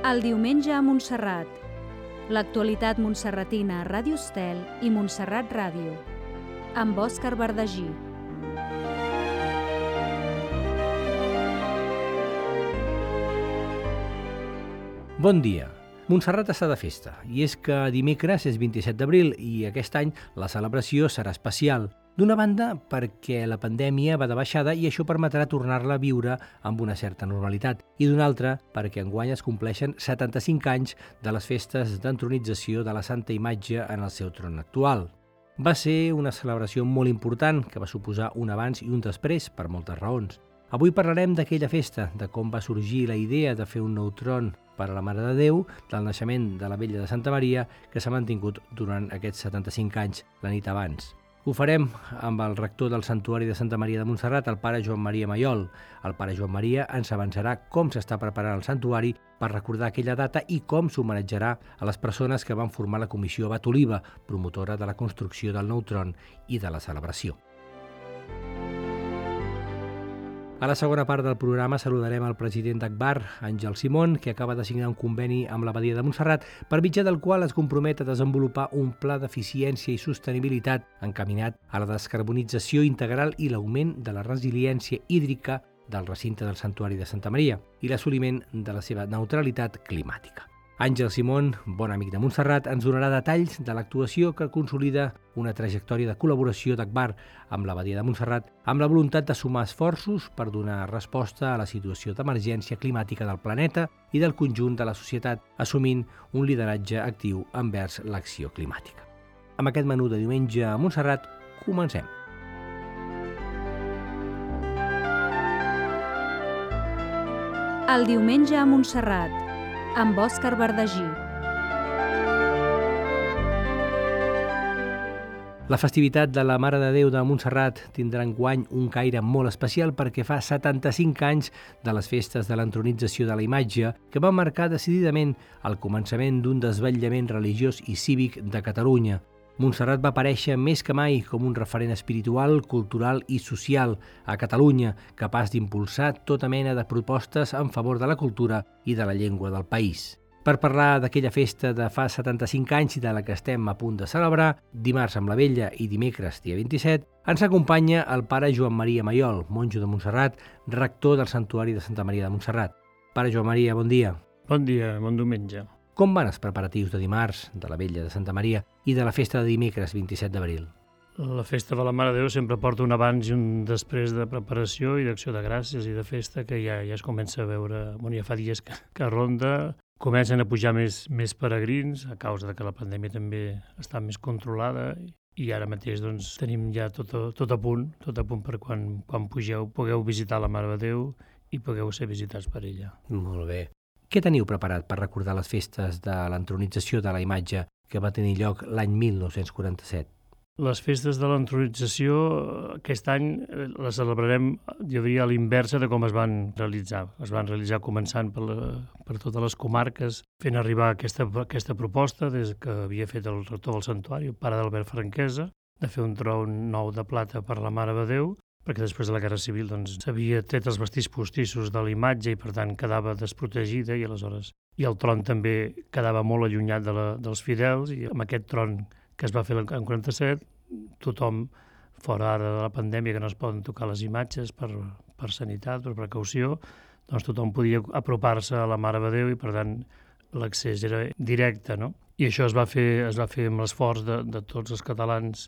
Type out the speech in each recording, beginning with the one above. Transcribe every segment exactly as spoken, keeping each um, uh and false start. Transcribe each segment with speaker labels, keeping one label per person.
Speaker 1: El diumenge a Montserrat. L'actualitat montserratina a Ràdio Estel i Montserrat Ràdio. Amb Òscar Verdagí.
Speaker 2: Bon dia. Montserrat està de festa, i és que dimecres és vint-i-set d'abril i aquest any la celebració serà especial. D'una banda, perquè la pandèmia va de baixada i això permetrà tornar-la a viure amb una certa normalitat, i d'una altra, perquè enguany es compleixen setanta-cinc anys de les festes d'entronització de la Santa Imatge en el seu tron actual. Va ser una celebració molt important que va suposar un abans i un després per moltes raons. Avui parlarem d'aquella festa, de com va sorgir la idea de fer un nou tron per a la Mare de Déu, del naixement de la Vella de Santa Maria, que s'ha mantingut durant aquests setanta-cinc anys, la nit abans. Ho farem amb el rector del Santuari de Santa Maria de Montserrat, el pare Joan Maria Maiol. El pare Joan Maria ens avançarà com s'està preparant el santuari per recordar aquella data i com s'homenatjarà a les persones que van formar la comissió Abat Oliva, promotora de la construcció del nou tron i de la celebració. A la segona part del programa saludarem el president d'Agbar, Àngel Simón, que acaba de signar un conveni amb l'Abadia de Montserrat, per mitjà del qual es compromet a desenvolupar un pla d'eficiència i sostenibilitat encaminat a la descarbonització integral i l'augment de la resiliència hídrica del recinte del Santuari de Santa Maria i l'assoliment de la seva neutralitat climàtica. Àngel Simón, bon amic de Montserrat, ens donarà detalls de l'actuació que consolida una trajectòria de col·laboració d'Agbar amb l'Abadia de Montserrat amb la voluntat de sumar esforços per donar resposta a la situació d'emergència climàtica del planeta i del conjunt de la societat, assumint un lideratge actiu envers l'acció climàtica. Amb aquest menú de diumenge a Montserrat, comencem.
Speaker 1: El diumenge a Montserrat, amb Òscar Verdagí.
Speaker 2: La festivitat de la Mare de Déu de Montserrat tindrà enguany un caire molt especial perquè fa setanta-cinc anys de les festes de l'entronització de la imatge que van marcar decididament el començament d'un desvetllament religiós i cívic de Catalunya. Montserrat va aparèixer més que mai com un referent espiritual, cultural i social a Catalunya, capaç d'impulsar tota mena de propostes en favor de la cultura i de la llengua del país. Per parlar d'aquella festa de fa setanta-cinc anys i de la que estem a punt de celebrar, dimarts amb la Vella i dimecres, dia vint-i-set, ens acompanya el pare Joan Maria Maiol, monjo de Montserrat, rector del Santuari de Santa Maria de Montserrat. Pare Joan Maria, bon dia.
Speaker 3: Bon dia, bon diumenge.
Speaker 2: Com van els preparatius de dimarts, de la Vella de Santa Maria i de la festa de dimecres, vint-i-set d'abril?
Speaker 3: La festa de la Mare de Déu sempre porta un abans i un després de preparació i d'acció de gràcies i de festa que ja, ja es comença a veure, bueno, ja fa dies que, que ronda, comencen a pujar més, més peregrins a causa de que la pandèmia també està més controlada i ara mateix doncs, tenim ja tot a, tot a punt, tot a punt per quan, quan pugeu pugueu visitar la Mare de Déu i pugueu ser visitats per ella.
Speaker 2: Molt bé. Què teniu preparat per recordar les festes de l'entronització de la imatge que va tenir lloc l'any mil nou-cents quaranta-set?
Speaker 3: Les festes de l'entronització aquest any les celebrarem, jo diria, a l'inversa de com es van realitzar. Es van realitzar començant per, la, per totes les comarques, fent arribar aquesta, aquesta proposta des que havia fet el rector del santuari, el pare d'Albert Franquesa, de fer un tron nou de plata per la Mare de Déu, perquè després de la Guerra Civil doncs, s'havia tret els vestits postissos de la imatge i per tant quedava desprotegida i aleshores i el tron també quedava molt allunyat de la, dels fidels i amb aquest tron que es va fer en quaranta-set tothom, fora ara de la pandèmia que no es poden tocar les imatges per, per sanitat, per precaució, doncs tothom podia apropar-se a la Mare de Déu i per tant l'accés era directe, no? I això es va fer, es va fer amb l'esforç de, de tots els catalans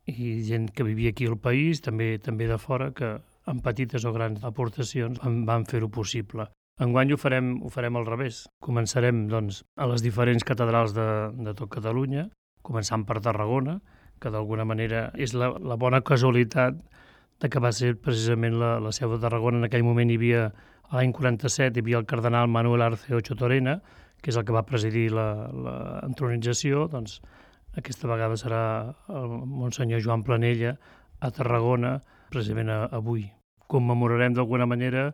Speaker 3: i gent que vivia aquí al país, també també de fora, que amb petites o grans aportacions van, van fer-ho possible. Enguany ho farem, ho farem al revés. Començarem doncs, a les diferents catedrals de, de tot Catalunya, començant per Tarragona, que d'alguna manera és la, la bona casualitat de que va ser precisament la, la seu de Tarragona. En aquell moment hi havia, a l'any quaranta-set, hi havia el cardenal Manuel Arce Ocho Torena, que és el que va presidir l'entronització, doncs aquesta vegada serà el Monsenyor Joan Planella a Tarragona, precisament avui. Commemorarem d'alguna manera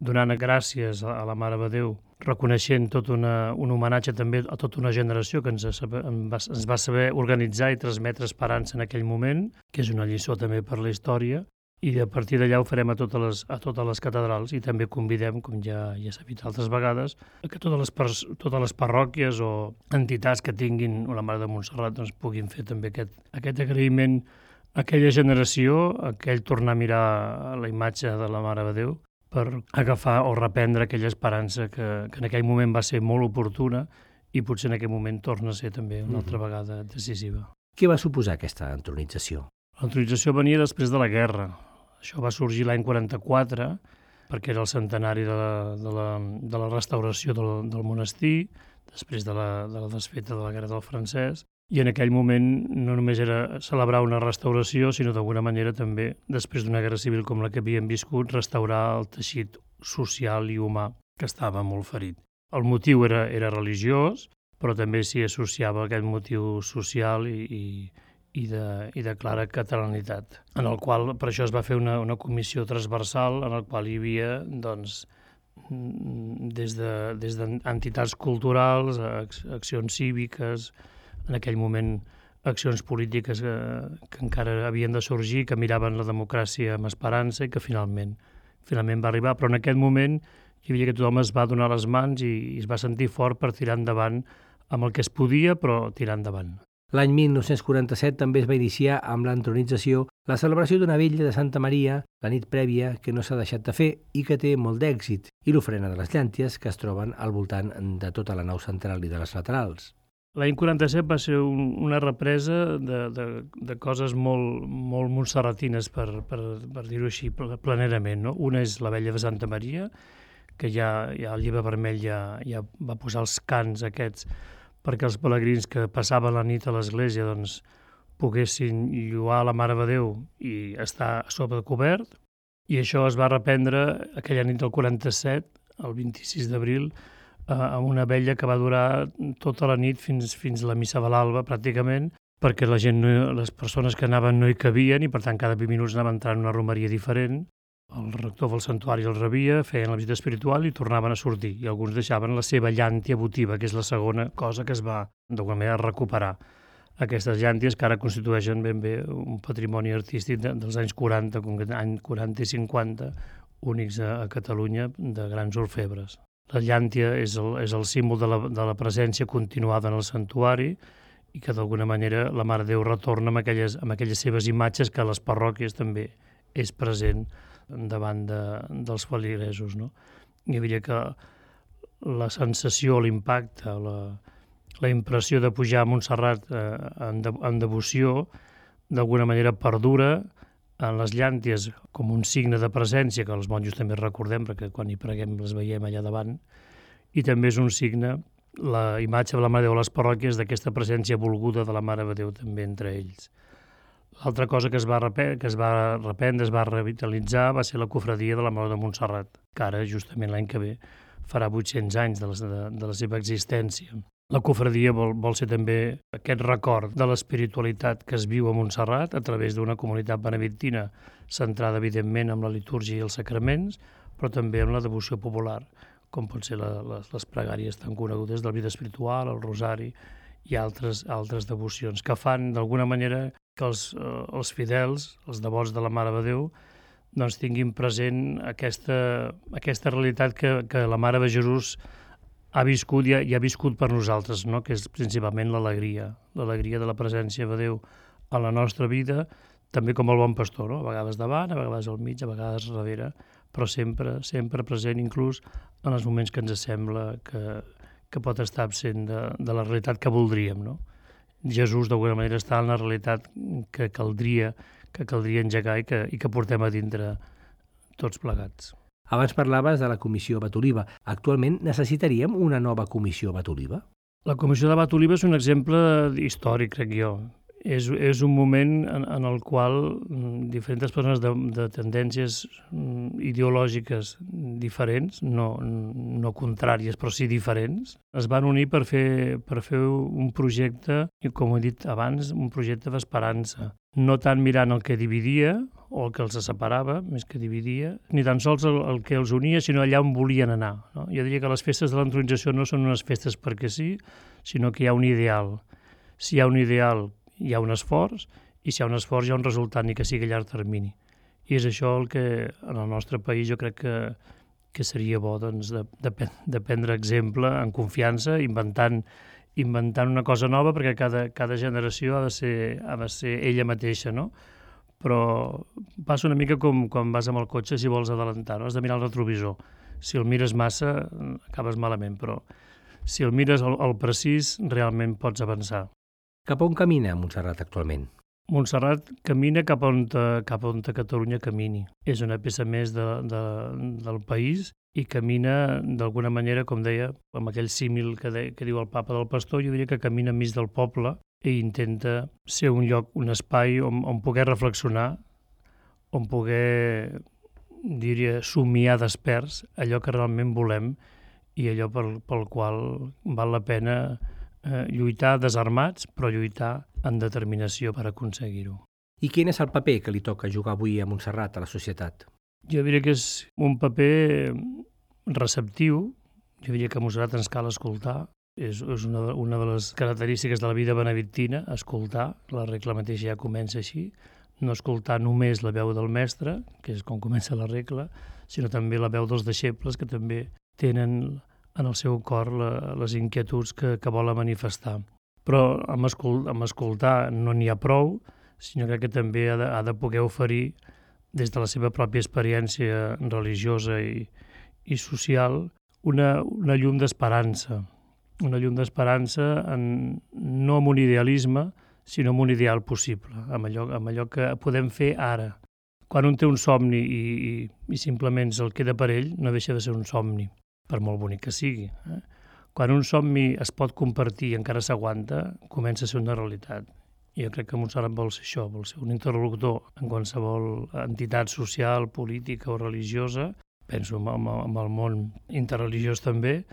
Speaker 3: donant gràcies a la Mare de Déu, reconeixent tot una, un homenatge també a tota una generació que ens, ens va saber organitzar i transmetre esperança en aquell moment, que és una lliçó també per la història, i a partir d'allà ho farem a totes les, a totes les catedrals, i també convidem, com ja, ja s'ha dit altres vegades, que totes les, pers, totes les parròquies o entitats que tinguin la Mare de Montserrat doncs, puguin fer també aquest, aquest agraïment a aquella generació, a aquell tornar a mirar la imatge de la Mare de Déu per agafar o reprendre aquella esperança que, que en aquell moment va ser molt oportuna i potser en aquell moment torna a ser també una altra vegada decisiva.
Speaker 2: Què va suposar aquesta entronització?
Speaker 3: L'entronització venia després de la guerra. Això va sorgir l'any quaranta-quatre, perquè era el centenari de la, de la, de la restauració del, del monestir, després de la, de la desfeta de la Guerra del Francès, i en aquell moment no només era celebrar una restauració, sinó d'alguna manera també, després d'una guerra civil com la que havíem viscut, restaurar el teixit social i humà que estava molt ferit. El motiu era, era religiós, però també s'hi associava aquest motiu social i, i I de, i de clara catalanitat, en el qual per això es va fer una, una comissió transversal en el qual hi havia doncs, des de, des d'entitats culturals, accions cíviques, en aquell moment accions polítiques que, que encara havien de sorgir, que miraven la democràcia amb esperança i que finalment, finalment va arribar. Però en aquest moment hi havia que tothom es va donar les mans i, i es va sentir fort per tirar endavant amb el que es podia, però tirar endavant.
Speaker 2: L'any mil nou-cents quaranta-set també es va iniciar amb l'entronització la celebració d'una vetlla de Santa Maria, la nit prèvia, que no s'ha deixat de fer i que té molt d'èxit, i l'ofrena de les llànties que es troben al voltant de tota la nau central i de les laterals.
Speaker 3: L'any quaranta-set va ser un, una represa de, de, de coses molt, molt montserratines, per, per, per dir-ho així, planerament. No? Una és la vetlla de Santa Maria, que ja, ja el Llibre Vermell ja, ja va posar els cants aquests perquè els pelegrins que passaven la nit a l'església doncs, poguessin lloar la Mare de Déu i estar a sobre cobert. I això es va reprendre aquella nit del quaranta-set, el vint-i-sis d'abril, eh, amb una vetlla que va durar tota la nit fins, fins la missa de l'alba, pràcticament, perquè la gent, no, les persones que anaven no hi cabien i, per tant, cada vint minuts anava entrant una romeria diferent. El rector del santuari el rebia, feien la visita espiritual i tornaven a sortir. I alguns deixaven la seva llàntia votiva, que és la segona cosa que es va, d'alguna manera, recuperar. Aquestes llànties que ara constitueixen ben bé un patrimoni artístic de, dels anys quaranta, com any quaranta i cinquanta, únics a, a Catalunya, de grans orfebres. La llàntia és el, és el símbol de la, de la presència continuada en el santuari i que d'alguna manera la Mare de Déu retorna amb aquelles, amb aquelles seves imatges que a les parròquies també és present davant de, dels feligresos. No? Hi havia que la sensació, l'impacte, la, la impressió de pujar a Montserrat eh, en, de, en devoció, d'alguna manera perdura en les llànties com un signe de presència, que els monjos també recordem, perquè quan hi preguem les veiem allà davant, i també és un signe, la imatge de la Mare de Déu a les parròquies, d'aquesta presència volguda de la Mare de Déu també entre ells. L'altra cosa que es va reprendre, que es va reprendre, es va revitalitzar, va ser la cofradia de la Mare de Montserrat, que ara, justament l'any que ve, farà vuit-cents anys de la, de, de la seva existència. La cofradia vol, vol ser també aquest record de l'espiritualitat que es viu a Montserrat a través d'una comunitat benedictina centrada, evidentment, en la litúrgia i els sacraments, però també en la devoció popular, com pot ser la, les, les pregàries tan conegudes del vida espiritual, el rosari i altres, altres devocions, que fan, d'alguna manera, que els, eh, els fidels, els devots de la Mare de Déu, doncs tinguin present aquesta, aquesta realitat que, que la Mare de Jesús ha viscut i ha, i ha viscut per nosaltres, no? Que és principalment l'alegria, l'alegria de la presència de Déu a la nostra vida, també com el bon pastor, no? A vegades davant, a vegades al mig, a vegades darrere, però sempre, sempre present, inclús en els moments que ens sembla que, que pot estar absent de, de la realitat que voldríem, no? Jesús, d'alguna manera, està en la realitat que caldria, que caldria engegar i que, i que portem a dintre tots plegats.
Speaker 2: Abans parlaves de la Comissió Bat-Oliva. Actualment necessitaríem una nova Comissió Bat-Oliva?
Speaker 3: La Comissió de Bat-Oliva és un exemple històric, crec jo. És, és un moment en, en el qual diferents persones de, de tendències ideològiques diferents, no, no contràries, però sí diferents, es van unir per fer, per fer un projecte, com he dit abans, un projecte d'esperança. No tant mirant el que dividia o el que els separava, més que dividia, ni tan sols el, el que els unia, sinó allà on volien anar. No? Jo diria que les festes de l'entronització no són unes festes perquè sí, sinó que hi ha un ideal. Si hi ha un ideal, hi ha un esforç, i si hi ha un esforç hi ha un resultat, ni que sigui a llarg termini. I és això el que en el nostre país jo crec que, que seria bo doncs, de, de, de prendre exemple en confiança, inventant, inventant una cosa nova, perquè cada, cada generació ha de, ser, ha de ser ella mateixa, no? Però passa una mica com quan vas amb el cotxe si vols adelantar, no? Has de mirar el retrovisor. Si el mires massa, acabes malament, però si el mires al, al precís, realment pots avançar.
Speaker 2: Cap on camina Montserrat actualment?
Speaker 3: Montserrat camina cap on, cap on Catalunya camini. És una peça més de, de, del país i camina d'alguna manera, com deia, amb aquell símil que, de, que diu el papa del pastor, jo diria que camina enmig del poble i intenta ser un lloc, un espai on, on poder reflexionar, on poder, diria, somiar desperts allò que realment volem i allò pel, pel qual val la pena eh, lluitar desarmats, però lluitar amb determinació per aconseguir-ho.
Speaker 2: I quin és el paper que li toca jugar avui a Montserrat a la societat?
Speaker 3: Jo diria que és un paper receptiu, jo diria que a Montserrat ens cal escoltar, és, és una, una de les característiques de la vida benedictina, escoltar, la regla mateixa ja comença així, no escoltar només la veu del mestre, que és com comença la regla, sinó també la veu dels deixebles, que també tenen en el seu cor la, les inquietuds que, que volen manifestar. Però amb, escol amb escoltar no n'hi ha prou, sinó que també ha de, ha de poder oferir, des de la seva pròpia experiència religiosa i, i social, una, una llum d'esperança. Una llum d'esperança en, no amb un idealisme, sinó amb un ideal possible, amb allò, amb allò que podem fer ara. Quan un té un somni i, i, i simplement se'l queda per ell, no deixa de ser un somni, per molt bonic que sigui. Eh? Quan un somni es pot compartir i encara s'aguanta, comença a ser una realitat. I jo crec que Montserrat vol ser això, vol ser un interlocutor en qualsevol entitat social, política o religiosa, penso en, en, en el món interreligiós també,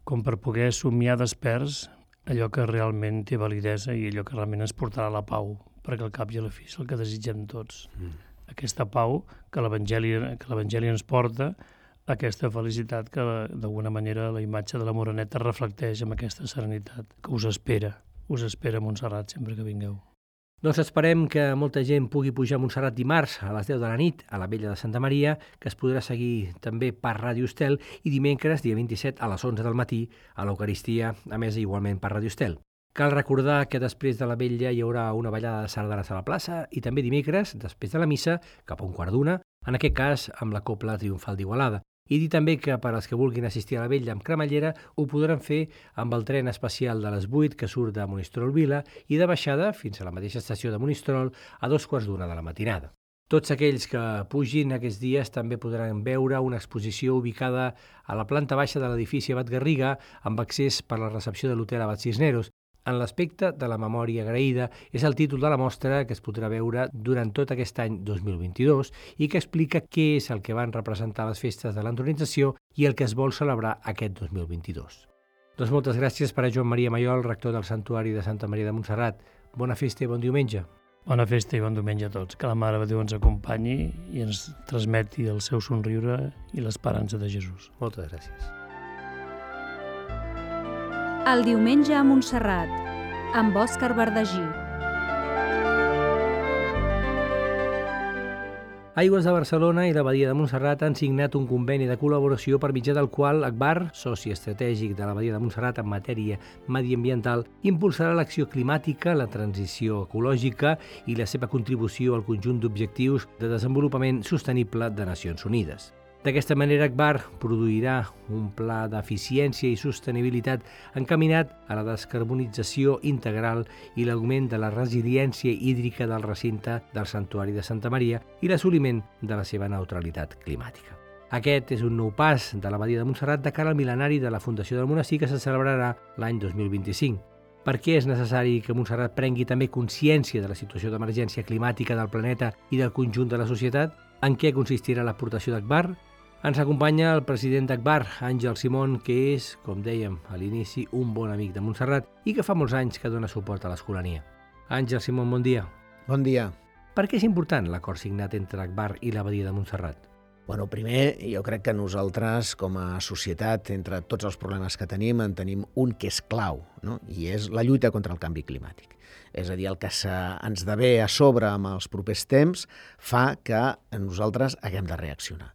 Speaker 3: com per poder somiar desperts allò que realment té validesa i allò que realment ens portarà a la pau, perquè al cap i a la fi és el que desitgem tots. Mm. Aquesta pau que l'Evangeli que l'Evangeli ens porta, aquesta felicitat que d'alguna manera la imatge de la Moreneta reflecteix amb aquesta serenitat que us espera. Us espera a Montserrat sempre que vingueu.
Speaker 2: Doncs esperem que molta gent pugui pujar a Montserrat dimarts a les deu de la nit a la Vella de Santa Maria, que es podrà seguir també per Ràdio Estel, i dimecres, dia vint-i-set, a les onze del matí, a l'Eucaristia, a més igualment per Ràdio Estel. Cal recordar que després de la Vella hi haurà una ballada de sardanes a la plaça i també dimecres, després de la missa, cap a un quart d'una, en aquest cas amb la Cobla Triomfal d'Igualada. I dir també que per als que vulguin assistir a la Vella amb cremallera ho podran fer amb el tren especial de les vuit que surt de Monistrol Vila i de baixada fins a la mateixa estació de Monistrol a dos quarts d'una de la matinada. Tots aquells que pugin aquests dies també podran veure una exposició ubicada a la planta baixa de l'edifici Abat Garriga amb accés per la recepció de l'hotel Abat Cisneros. En l'aspecte de la memòria agraïda és el títol de la mostra que es podrà veure durant tot aquest any dos mil vint-i-dos i que explica què és el que van representar les festes de l'entronització i el que es vol celebrar aquest dos mil vint-i-dos. Doncs moltes gràcies per a Joan Maria Mayol, rector del Santuari de Santa Maria de Montserrat. Bona festa i bon diumenge.
Speaker 3: Bona festa i bon diumenge a tots. Que la Mare de Déu ens acompanyi i ens transmeti el seu somriure i l'esperança de Jesús.
Speaker 2: Moltes gràcies.
Speaker 1: El diumenge a Montserrat, amb Òscar Verdagí.
Speaker 2: Aigües de Barcelona i l'Abadia de Montserrat han signat un conveni de col·laboració per mitjà del qual Agbar, soci estratègic de l'Abadia de Montserrat en matèria mediambiental, impulsarà l'acció climàtica, la transició ecològica i la seva contribució al conjunt d'objectius de desenvolupament sostenible de Nacions Unides. D'aquesta manera, Agbar produirà un pla d'eficiència i sostenibilitat encaminat a la descarbonització integral i l'augment de la resiliència hídrica del recinte del Santuari de Santa Maria i l'assoliment de la seva neutralitat climàtica. Aquest és un nou pas de l'Abadia de Montserrat de cara al mil·lenari de la Fundació del Monestir que se celebrarà l'any dos mil vint-i-cinc. Per què és necessari que Montserrat prengui també consciència de la situació d'emergència climàtica del planeta i del conjunt de la societat? En què consistirà l'aportació d'Agbar? Ens acompanya el president d'Agbar, Àngel Simón, que és, com dèiem a l'inici, un bon amic de Montserrat i que fa molts anys que dona suport a l'Escolania. Àngel Simón, bon dia.
Speaker 4: Bon dia.
Speaker 2: Per què és important l'acord signat entre Agbar i l'Abadia de Montserrat?
Speaker 4: Bueno, primer, jo crec que nosaltres, com a societat, entre tots els problemes que tenim, en tenim un que és clau, no? I és la lluita contra el canvi climàtic. És a dir, el que se, ens ve a sobre amb els propers temps fa que nosaltres haguem de reaccionar.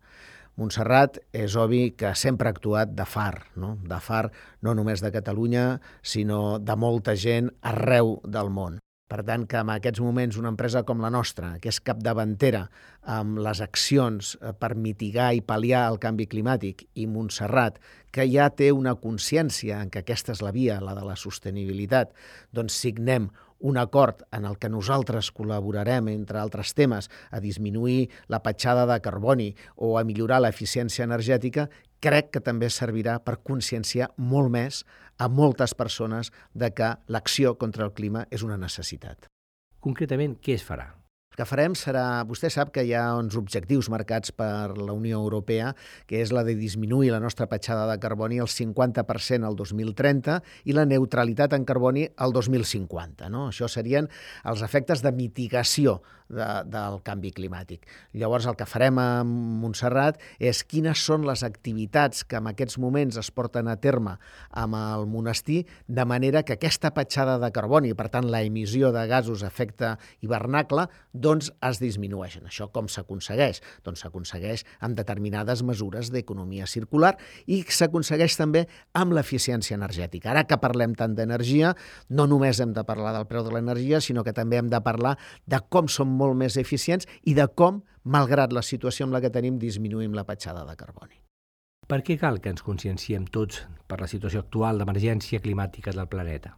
Speaker 4: Montserrat és obvi que sempre ha actuat de far, no? De far no només de Catalunya, sinó de molta gent arreu del món. Per tant, que en aquests moments una empresa com la nostra, que és capdavantera amb les accions per mitigar i pal·liar el canvi climàtic, i Montserrat, que ja té una consciència en que aquesta és la via, la de la sostenibilitat, doncs signem un acord en el que nosaltres col·laborarem, entre altres temes, a disminuir la petjada de carboni o a millorar l'eficiència energètica, crec que també servirà per conscienciar molt més a moltes persones de que l'acció contra el clima és una necessitat.
Speaker 2: Concretament, què es farà?
Speaker 4: El que farem serà... Vostè sap que hi ha uns objectius marcats per la Unió Europea, que és la de disminuir la nostra petjada de carboni al cinquanta per cent al dos mil trenta i la neutralitat en carboni al dos mil cinquanta. No? Això serien els efectes de mitigació de, del canvi climàtic. Llavors, el que farem a Montserrat és quines són les activitats que en aquests moments es porten a terme amb el monestir, de manera que aquesta petjada de carboni, per tant, la emissió de gasos a efecte hivernacle, doncs es disminueixen. Això com s'aconsegueix? Doncs s'aconsegueix amb determinades mesures d'economia circular i s'aconsegueix també amb l'eficiència energètica. Ara que parlem tant d'energia, no només hem de parlar del preu de l'energia, sinó que també hem de parlar de com som molt més eficients i de com, malgrat la situació amb la que tenim, disminuïm la petjada de carboni.
Speaker 2: Per què cal que ens conscienciem tots per la situació actual d'emergència climàtica del planeta?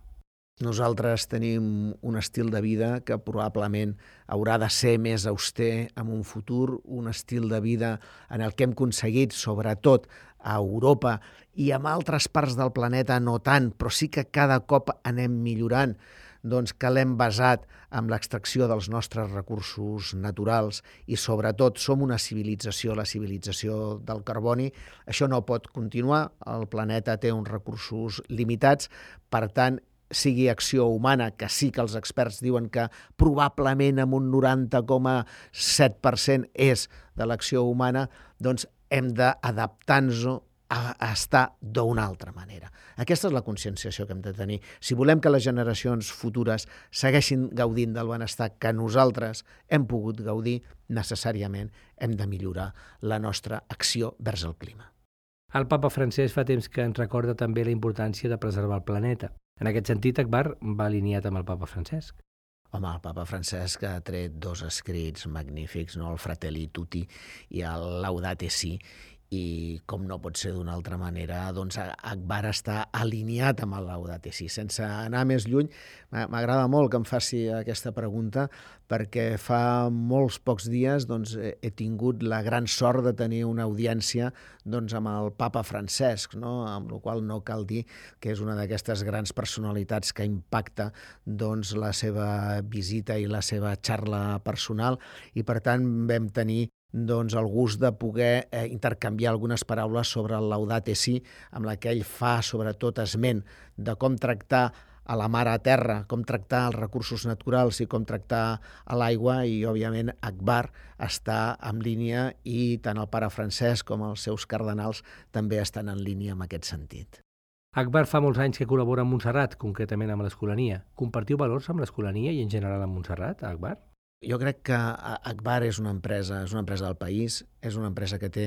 Speaker 4: Nosaltres tenim un estil de vida que probablement haurà de ser més auster en un futur, un estil de vida en el que hem aconseguit, sobretot a Europa i en altres parts del planeta no tant, però sí que cada cop anem millorant, doncs que l'hem basat en l'extracció dels nostres recursos naturals i sobretot som una civilització, la civilització del carboni. Això no pot continuar, el planeta té uns recursos limitats, per tant, sigui acció humana, que sí que els experts diuen que probablement amb un noranta coma set per cent és de l'acció humana, doncs hem d'adaptar-nos a estar d'una altra manera. Aquesta és la conscienciació que hem de tenir. Si volem que les generacions futures segueixin gaudint del benestar que nosaltres hem pogut gaudir, necessàriament hem de millorar la nostra acció vers el clima.
Speaker 2: El papa Francesc fa temps que ens recorda també la importància de preservar el planeta. En aquest sentit, Akbar va alineat amb el papa Francesc.
Speaker 4: Home, el papa Francesc ha tret dos escrits magnífics, no? El Fratelli Tutti i el Laudate Si, i com no pot ser d'una altra manera, doncs Akbar està alineat amb el Laudate Si. Sense anar més lluny, m'agrada molt que em faci aquesta pregunta, perquè fa molts pocs dies doncs, he tingut la gran sort de tenir una audiència doncs, amb el papa Francesc, no? Amb la qual no cal dir que és una d'aquestes grans personalitats que impacta doncs, la seva visita i la seva xarra personal, i per tant vam tenir doncs, el gust de poder eh, intercanviar algunes paraules sobre el Laudate Si, amb la que ell fa sobretot esment de com tractar a la mar a terra, com tractar els recursos naturals i com tractar a l'aigua, i òbviament Akbar està en línia i tant el pare Francesc com els seus cardenals també estan en línia en aquest sentit.
Speaker 2: Akbar fa molts anys que col·labora amb Montserrat, concretament amb l'Escolania. Compartiu valors amb l'Escolania i en general amb Montserrat, Akbar?
Speaker 4: Jo crec que Akbar és una empresa, és una empresa del país, és una empresa que té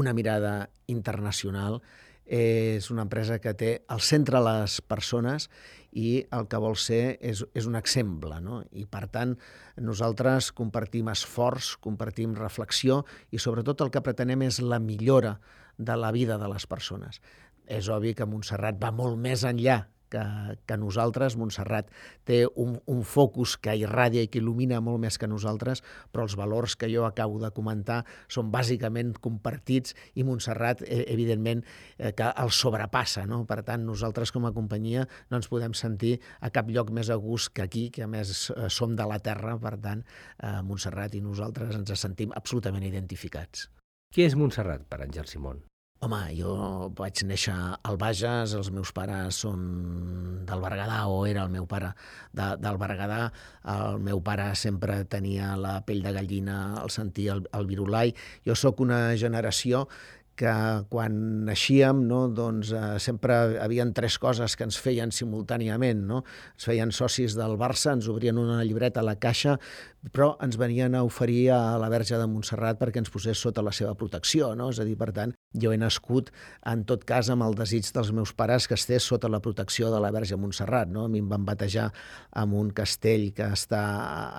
Speaker 4: una mirada internacional, és una empresa que té al centre les persones i el que vol ser és, és un exemple, no? I per tant nosaltres compartim esforç, compartim reflexió i sobretot el que pretenem és la millora de la vida de les persones. És obvi que Montserrat va molt més enllà que, que nosaltres. Montserrat té un, un focus que irradia i que il·lumina molt més que nosaltres, però els valors que jo acabo de comentar són bàsicament compartits i Montserrat, eh, evidentment, eh, que el sobrepassa, no? Per tant, nosaltres com a companyia no ens podem sentir a cap lloc més a gust que aquí, que a més eh, som de la terra, per tant, eh, Montserrat i nosaltres ens sentim absolutament identificats.
Speaker 2: Què és Montserrat per Àngel Simón?
Speaker 4: Home, jo vaig néixer al Bages, els meus pares són del Berguedà, o era el meu pare de, del Berguedà. El meu pare sempre tenia la pell de gallina al sentir el, el virulai. Jo sóc una generació que quan naixíem, no, doncs, eh, sempre havien tres coses que ens feien simultàniament. No? Ens feien socis del Barça, ens obrien una llibreta a la caixa, però ens venien a oferir a la Verge de Montserrat perquè ens posés sota la seva protecció. No? És a dir, per tant, jo he nascut, en tot cas, amb el desig dels meus pares que estés sota la protecció de la Verge de Montserrat. No? A mi em van batejar en un castell que està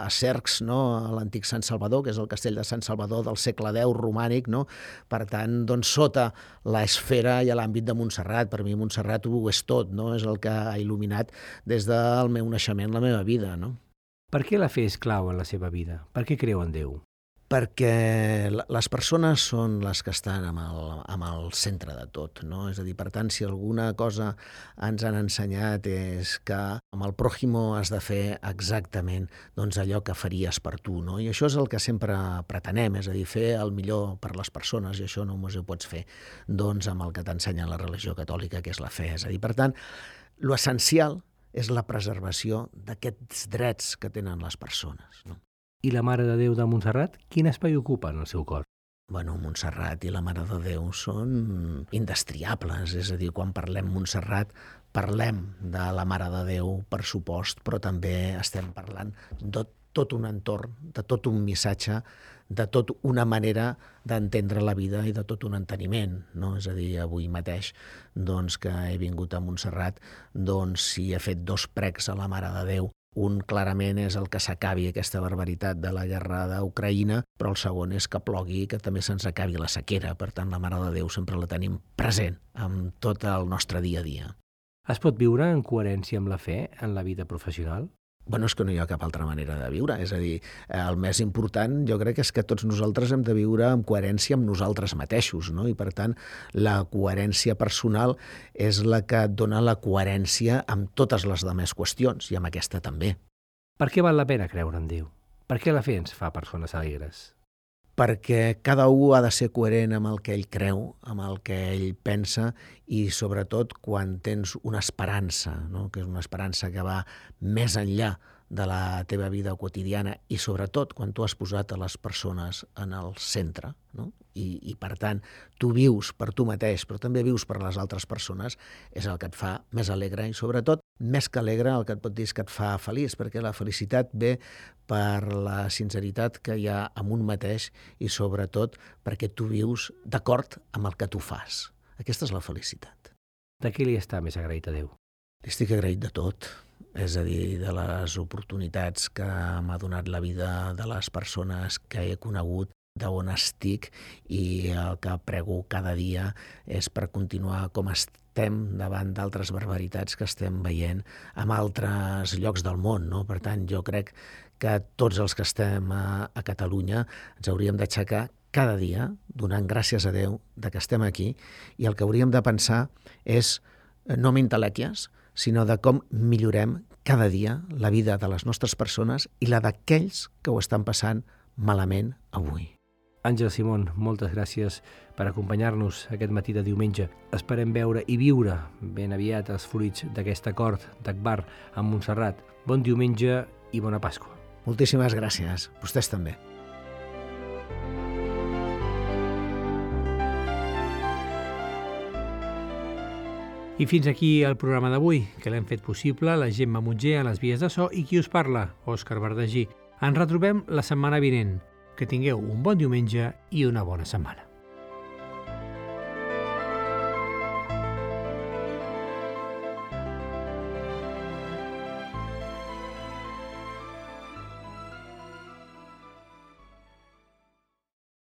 Speaker 4: a Cercs, no? A l'antic Sant Salvador, que és el castell de Sant Salvador del segle deu romànic. No? Per tant, doncs, sota l'esfera i l'àmbit de Montserrat. Per mi Montserrat ho és tot, no? És el que ha il·luminat des del meu naixement la meva vida. No?
Speaker 2: Per què la fe és clau en la seva vida? Per què creu en Déu?
Speaker 4: Perquè les persones són les que estan amb el, amb el centre de tot. No? És a dir, per tant, si alguna cosa ens han ensenyat és que amb el pròjimo has de fer exactament doncs, allò que faries per tu. No? I això és el que sempre pretenem, és a dir, fer el millor per les persones, i això només ho pots fer doncs, amb el que t'ensenya la religió catòlica, que és la fe. És a dir, per tant, l'essencial és la preservació d'aquests drets que tenen les persones. No?
Speaker 2: I la Mare de Déu de Montserrat, quin espai ocupa en el seu cor?
Speaker 4: Bueno, Montserrat i la Mare de Déu són indestriables, és a dir, quan parlem Montserrat parlem de la Mare de Déu, per supost, però també estem parlant de tot un entorn, de tot un missatge, de tot una manera d'entendre la vida i de tot un enteniment. No? És a dir, avui mateix doncs, que he vingut a Montserrat, doncs, si he fet dos precs a la Mare de Déu, un clarament és el que s'acabi aquesta barbaritat de la guerra d'Ucraïna, però el segon és que plogui i que també se'ns acabi la sequera. Per tant, la Mare de Déu sempre la tenim present en tot el nostre dia a dia.
Speaker 2: Es pot viure en coherència amb la fe en la vida professional?
Speaker 4: Bueno, és que no hi ha cap altra manera de viure. És a dir, el més important jo crec és que tots nosaltres hem de viure en coherència amb nosaltres mateixos, no? I per tant, la coherència personal és la que et dona la coherència amb totes les demés qüestions, i amb aquesta també.
Speaker 2: Per què val la pena creure en Déu? Per què la fe ens fa persones alegres?
Speaker 4: Perquè cada un ha de ser coherent amb el que ell creu, amb el que ell pensa, i sobretot quan tens una esperança, no? Que és una esperança que va més enllà de la teva vida quotidiana, i sobretot quan tu has posat a les persones en el centre, no? I, i per tant tu vius per tu mateix però també vius per les altres persones, és el que et fa més alegre, i sobretot més que alegre el que et pot dir és que et fa feliç, perquè la felicitat ve per la sinceritat que hi ha en un mateix, i sobretot perquè tu vius d'acord amb el que tu fas. Aquesta és la felicitat.
Speaker 2: De què li està més agraït a Déu?
Speaker 4: Li estic agraït de tot. És a dir, de les oportunitats que m'ha donat la vida, de les persones que he conegut, d'on estic, i el que prego cada dia és per continuar com estem davant d'altres barbaritats que estem veient en altres llocs del món. No? Per tant, jo crec que tots els que estem a, a Catalunya ens hauríem d'aixecar cada dia donant gràcies a Déu de que estem aquí, i el que hauríem de pensar és no m'intelèquies, sinó de com millorem cada dia la vida de les nostres persones i la d'aquells que ho estan passant malament avui.
Speaker 2: Àngel Simón, moltes gràcies per acompanyar-nos aquest matí de diumenge. Esperem veure i viure ben aviat els fruits d'aquest acord d'Agbar amb Montserrat. Bon diumenge i bona Pasqua.
Speaker 4: Moltíssimes gràcies. Vostès també.
Speaker 2: I fins aquí el programa d'avui, que l'hem fet possible la Gemma Mutger a les vies de so i qui us parla, Òscar Verdagí. Ens retrobem la setmana vinent. Que tingueu un bon diumenge i una bona setmana.